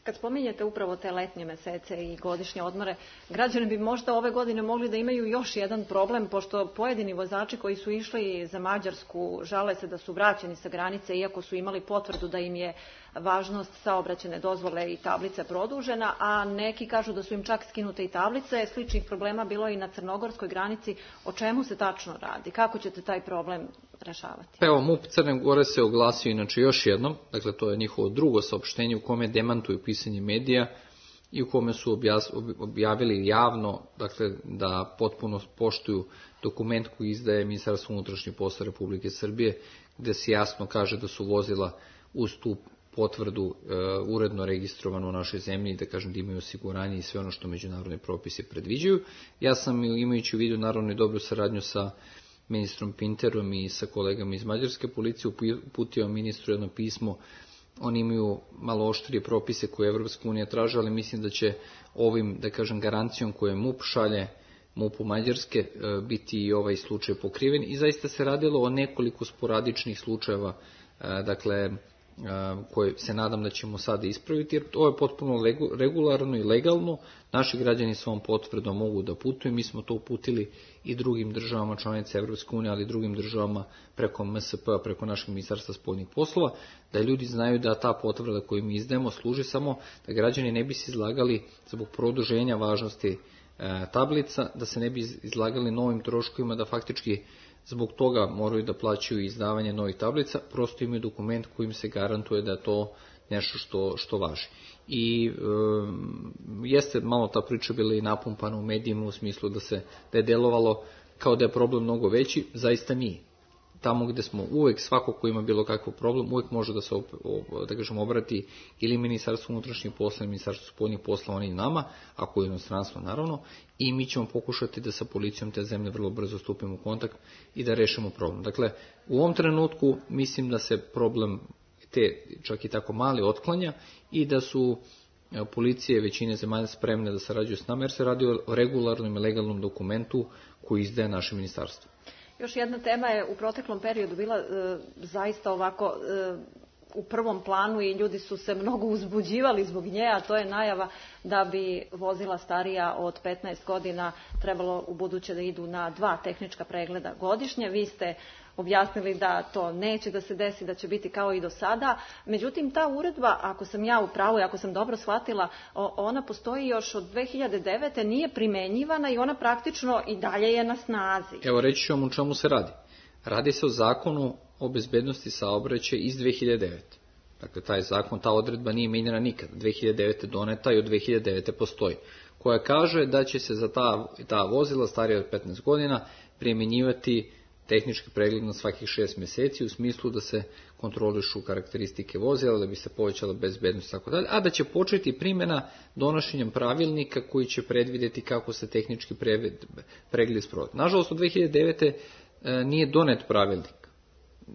Kad spominjete upravo te letnje mesece i godišnje odmore, građani bi možda ove godine mogli da imaju još jedan problem, pošto pojedini vozači koji su išli za Mađarsku žale se da su vraćeni sa granice, iako su imali potvrdu da im je važnost saobraćajne dozvole i tablice produžena, a neki kažu da su im čak skinute i tablice. Sličnih problema bilo i na crnogorskoj granici. O čemu se tačno radi? Kako ćete taj problem rešavati? Evo, MUP Crne Gore se oglasio inače još jednom, dakle to je njihovo drugo saopštenje u kome demantuju pisanje medija i u kome su objavili javno, dakle da potpuno poštuju dokument koji izdaje Ministarstvo unutrašnjih poslova Republike Srbije, gde se jasno kaže da su vozila uz tu potvrdu uredno registrovano u našoj zemlji, da kažem da imaju osiguranje i sve ono što međunarodni propisi predviđaju. Ja sam, imajući u vidu naravno i dobru saradnju sa ministrom Pinterom i sa kolegama iz mađarske policije, uputio ministru jedno pismo. Oni imaju malo oštrije propise koje Evropska unija traže, ali mislim da će ovim, da kažem, garancijom koje MUP šalje MUP-u Mađarske biti i ovaj slučaj pokriven. I zaista se radilo o nekoliko sporadičnih slučajeva, dakle, koje se nadam da ćemo sada ispraviti, jer to je potpuno regularno i legalno. Naši građani s ovom potvrdom mogu da putuju. Mi smo to uputili i drugim državama članice Evropske unije, ali i drugim državama preko MSP-a, preko našeg Ministarstva spoljnih poslova, da ljudi znaju da ta potvrda koju mi izdajemo služi samo da građani ne bi se izlagali zbog produženja važnosti tablica, da se ne bi izlagali novim troškovima, da faktički zbog toga moraju da plaćaju izdavanje novih tablica, prosto imaju dokument kojim se garantuje da je to nešto što važi. I jeste malo ta priča bila i napumpana u medijima u smislu da je delovalo kao da je problem mnogo veći, zaista nije. Tamo gde smo uvek, svako ko ima bilo kakav problem, uvek može da se obrati ili Ministarstvo unutrašnjih poslova, ili Ministarstvo spoljnih poslova, oni nama, ako je inostranstvo naravno, i mi ćemo pokušati da sa policijom te zemlje vrlo brzo stupimo u kontakt i da rešimo problem. Dakle, u ovom trenutku mislim da se problem te čak i tako mali otklanja i da su policije većine zemalja spremne da sarađuju s nama, jer se radi o regularnom i legalnom dokumentu koji izdaje naše ministarstvo. Još jedna tema je u proteklom periodu bila zaista ovako u prvom planu i ljudi su se mnogo uzbuđivali zbog nje, a to je najava da bi vozila starija od 15 godina trebalo u buduće da idu na 2 tehnička pregleda godišnje. Vi ste objasnili da to neće da se desi, da će biti kao i do sada. Međutim, ta uredba, ako sam ja u pravu i ako sam dobro shvatila, ona postoji još od 2009. nije primenjivana i ona praktično i dalje je na snazi. Evo, reći ću vam o čemu se radi. Radi se o zakonu o bezbednosti saobraćaja iz 2009. Dakle, taj zakon, ta odredba nije mijenjana nikad. 2009. doneta i od 2009. postoji. Koja kaže da će se za ta vozila starija od 15 godina primjenjivati tehnički pregled na svakih 6 mjeseci u smislu da se kontrolišu karakteristike vozila, da bi se povećala bezbednost i tako dalje, a da će početi primjena donošenjem pravilnika koji će predvidjeti kako se tehnički pregled sprovodi. Nažalost, od 2009. Nije donet pravilnik.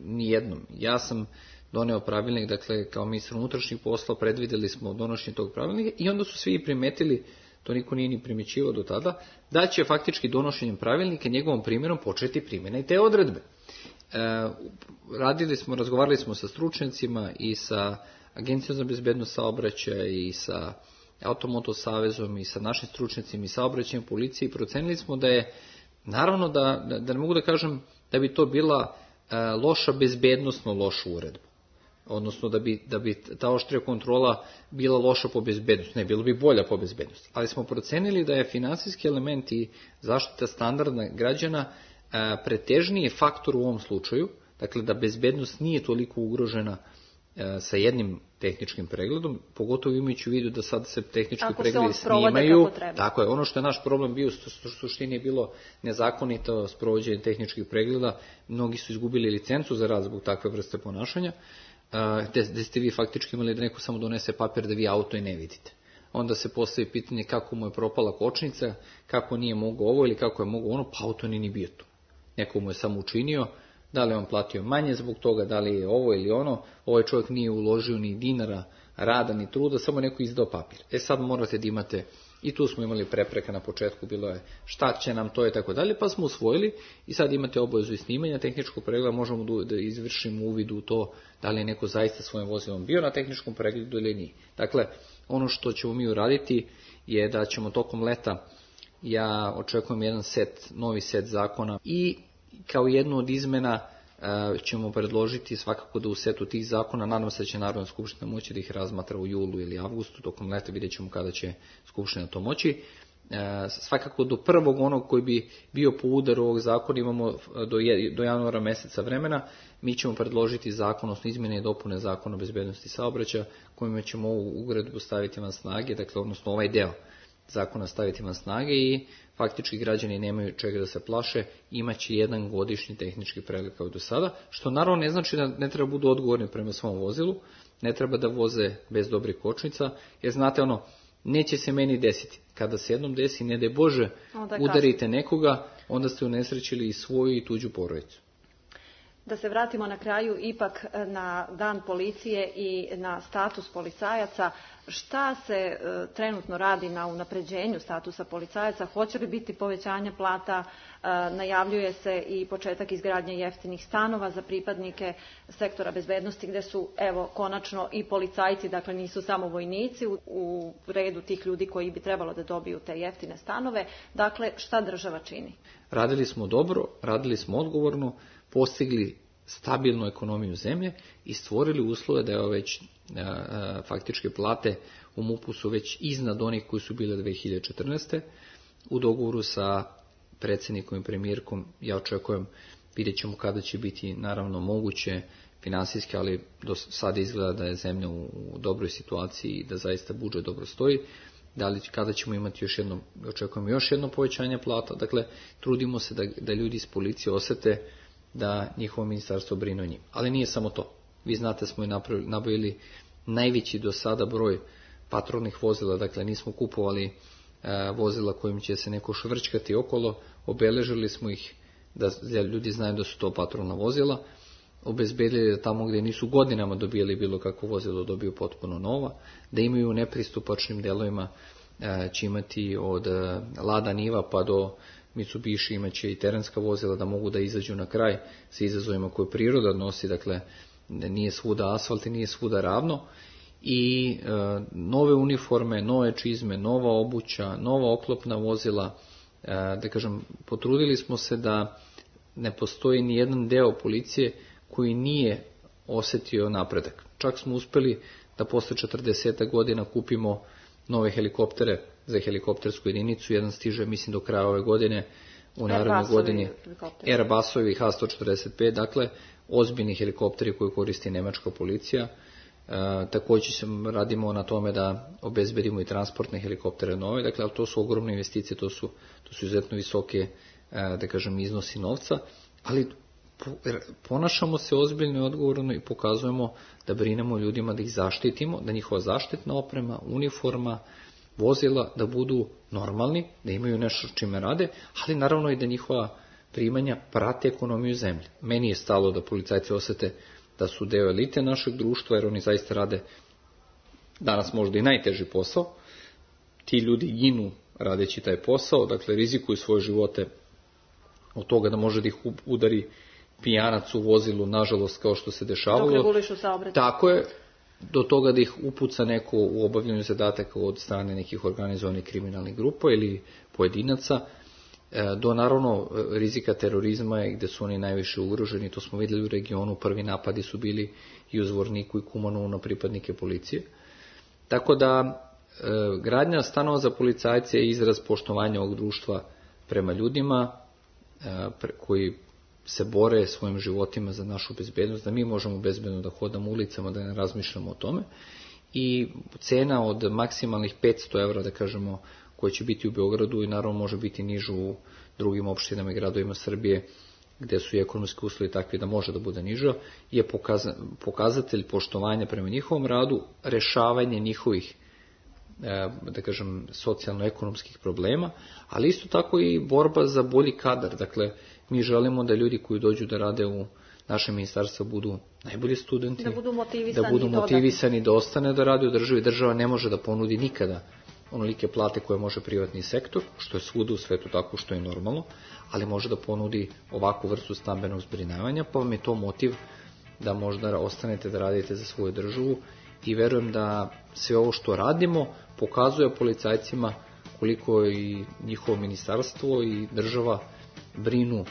Nijednom. Ja sam doneo pravilnik, dakle, kao ministar unutrašnjih poslova predvidjeli smo donošenje tog pravilnika i onda su svi primetili, to niko nije ni primjećivao do tada, da će faktički donošenjem pravilnika, njegovom primjerom početi primjena i te odredbe. Razgovarali smo sa stručnjacima i sa Agencijom za bezbednost saobraćaja i sa Automoto savezom i sa našim stručnjacima i saobraćajem policije i procenili smo da je, naravno da ne mogu da kažem da bi to bila loša, bezbednosno loša uredba. Odnosno da bi ta oštrija kontrola bila loša po bezbednosti. Ne, bilo bi bolja po bezbednosti. Ali smo procenili da je finansijski element i zaštita standarda građana pretežniji faktor u ovom slučaju. Dakle, da bezbednost nije toliko ugrožena sa jednim tehničkim pregledom, pogotovo imajući u vidu da sad se tehnički ako pregledi se on snimaju. Tako je, ono što je naš problem bio, u suštini je bilo nezakonito sprovođenje tehničkih pregleda, mnogi su izgubili licencu za rad zbog takve vrste ponašanja, gde ste vi faktički imali da neko samo donese papir da vi auto i ne vidite. Onda se postavi pitanje kako mu je propala kočnica, kako nije mogao ovo ili kako je mogao ono, pa auto nije ni bio tu. Neko mu je samo učinio, da li on platio manje zbog toga, da li je ovo ili ono, ovaj čovjek nije uložio ni dinara rada ni truda, samo neko izdao papir. Sad morate da imate, i tu smo imali prepreka na početku, bilo je šta će nam to i tako dalje, pa smo usvojili i sad imate obavezu i snimanja tehničkog pregleda, možemo da izvršimo uvid u to da li je neko zaista svojim vozilom bio na tehničkom pregledu ili nije. Dakle, ono što ćemo mi uraditi je da ćemo tokom leta, ja očekujem jedan novi set zakona i kao jednu od izmena ćemo predložiti svakako da u setu tih zakona, nadam se da će Narodna skupština moći da ih razmatra u julu ili avgustu, tokom leta vidjet ćemo kada će skupština to moći. Svakako do prvog onog koji bi bio po udaru ovog zakona imamo do januara meseca vremena, mi ćemo predložiti zakon, odnosno izmjene i dopune zakona o bezbednosti saobraćaja, kojima ćemo ovu uredbu staviti van snage, dakle odnosno ovaj deo zakona staviti van snage i faktički građani nemaju čega da se plaše, imaće jedan godišnji tehnički pregled kao do sada, što naravno ne znači da ne treba budu odgovorni prema svom vozilu, ne treba da voze bez dobrih kočnica, jer znate neće se meni desiti. Kada se jednom desi, ne daj Bože, udarite nekoga, onda ste unesrećili i svoju i tuđu porodicu. Da se vratimo na kraju ipak na dan policije i na status policajaca. Šta se trenutno radi na unapređenju statusa policajaca? Hoće li biti povećanje plata? Najavljuje se i početak izgradnje jeftinih stanova za pripadnike sektora bezbednosti gde su konačno i policajci, dakle nisu samo vojnici u redu tih ljudi koji bi trebalo da dobiju te jeftine stanove. Dakle, šta država čini? Radili smo dobro, radili smo odgovorno, postigli stabilnu ekonomiju zemlje i stvorili uslove da je već faktičke plate u MUP-u su već iznad onih koji su bile 2014. U dogovoru sa predsjednikom i premijerkom ja očekujem, vidjet ćemo kada će biti naravno moguće finansijski, ali do sada izgleda da je zemlja u dobroj situaciji i da zaista budžet dobro stoji. Kada ćemo imati očekujemo još jedno povećanje plata, dakle trudimo se da ljudi iz policije osete da njihovo ministarstvo brine o njim. Ali nije samo to. Vi znate, smo i nabavili najveći do sada broj patrolnih vozila, dakle nismo kupovali vozila kojim će se neko švrčkati okolo, obeležili smo ih da ljudi znaju da su to patrolna vozila, obezbedili da tamo gdje nisu godinama dobijali bilo kakvo vozilo dobiju potpuno nova, da imaju u nepristupačnim delovima će imati od Lada Niva pa do Mitsubishi imaće i terenska vozila da mogu da izađu na kraj sa izazovima koje priroda nosi, dakle nije svuda asfalt i nije svuda ravno i nove uniforme, nove čizme, nova obuća, nova oklopna vozila, da kažem, potrudili smo se da ne postoji ni jedan deo policije koji nije osjetio napredak. Čak smo uspeli da posle 40 godina kupimo nove helikoptere za helikoptersku jedinicu, jedan stiže mislim do kraja ove godine, u narednoj godini Airbusovi H-145, dakle ozbiljni helikopteri koje koristi nemačka policija. Također radimo na tome da obezbedimo i transportne helikoptere nove, dakle to su ogromne investicije, to su izuzetno visoke, da kažem, iznosi novca, ali ponašamo se ozbiljno i odgovorno i pokazujemo da brinemo ljudima, da ih zaštitimo, da njihova zaštitna oprema, uniforma, vozila da budu normalni, da imaju nešto čime rade, ali naravno i da njihova primanja prate ekonomiju zemlje. Meni je stalo da policajci osete da su deo elite našeg društva, jer oni zaista rade danas možda i najteži posao. Ti ljudi ginu radeći taj posao, dakle rizikuju svoje živote od toga da može da ih udari pijanac u vozilu, nažalost, kao što se dešavalo. Dok regulišu saobraćaj. Tako je, do toga da ih upuca neko u obavljanju zadataka od strane nekih organizovanih kriminalnih grupa ili pojedinaca, do naravno rizika terorizma gdje su oni najviše ugroženi. To smo vidjeli u regionu, prvi napadi su bili i u Zvorniku i Kumanovu na pripadnike policije. Tako da gradnja stanova za policajce je izraz poštovanja ovog društva prema ljudima koji se bore svojim životima za našu bezbednost, da mi možemo bezbedno da hodamo ulicama, da ne razmišljamo o tome. I cena od maksimalnih 500 evra, da kažemo, koja će biti u Beogradu i naravno može biti nižu u drugim opštinama i gradovima Srbije, gde su i ekonomski uslovi takvi da može da bude niža, je pokazatelj poštovanja prema njihovom radu, rešavanje njihovih, da kažem, socijalno-ekonomskih problema, ali isto tako i borba za bolji kadar. Dakle, mi želimo da ljudi koji dođu da rade u naše ministarstvo budu najbolji studenti, da budu motivisani da ostane da rade u državi. Država ne može da ponudi nikada onolike plate koje može privatni sektor, što je svuda u svetu tako, što je normalno, ali može da ponudi ovakvu vrstu stambenog zbrinjavanja, pa vam je to motiv da možda ostanete da radite za svoju državu. I verujem da sve ovo što radimo pokazuje policajcima koliko i njihovo ministarstvo i država brinu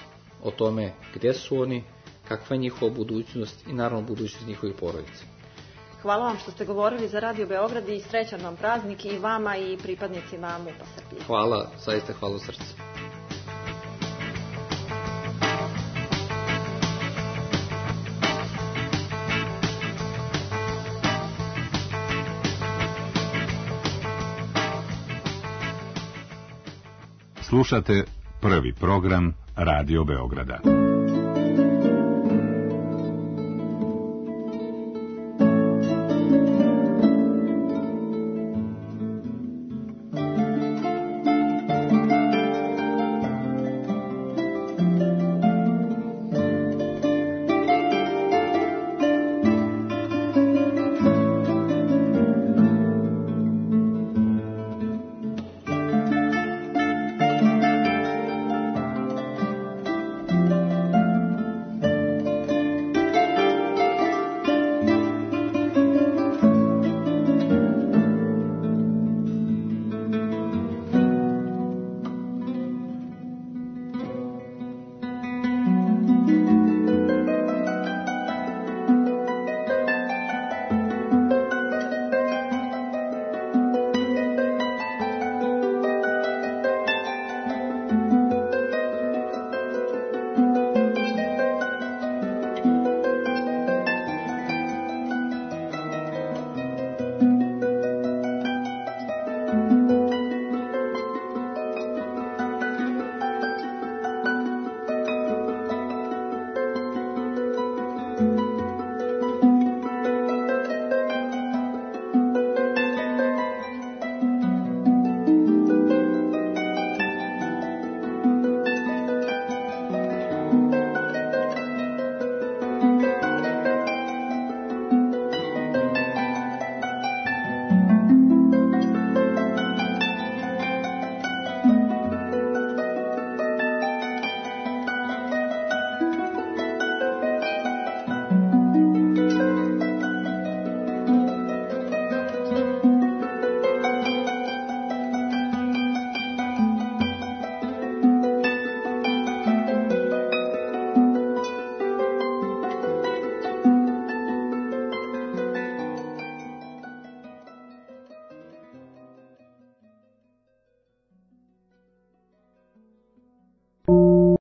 o tome gde su oni, kakva je njihova budućnost i naravno budućnost njihovih porodica. Hvala vam što ste govorili za Radio Beograd i srećan vam praznik i vama i pripadnicima MUP-a Srbije. Hvala, zaista hvala u srcu. Slušate prvi program Radio Beograda.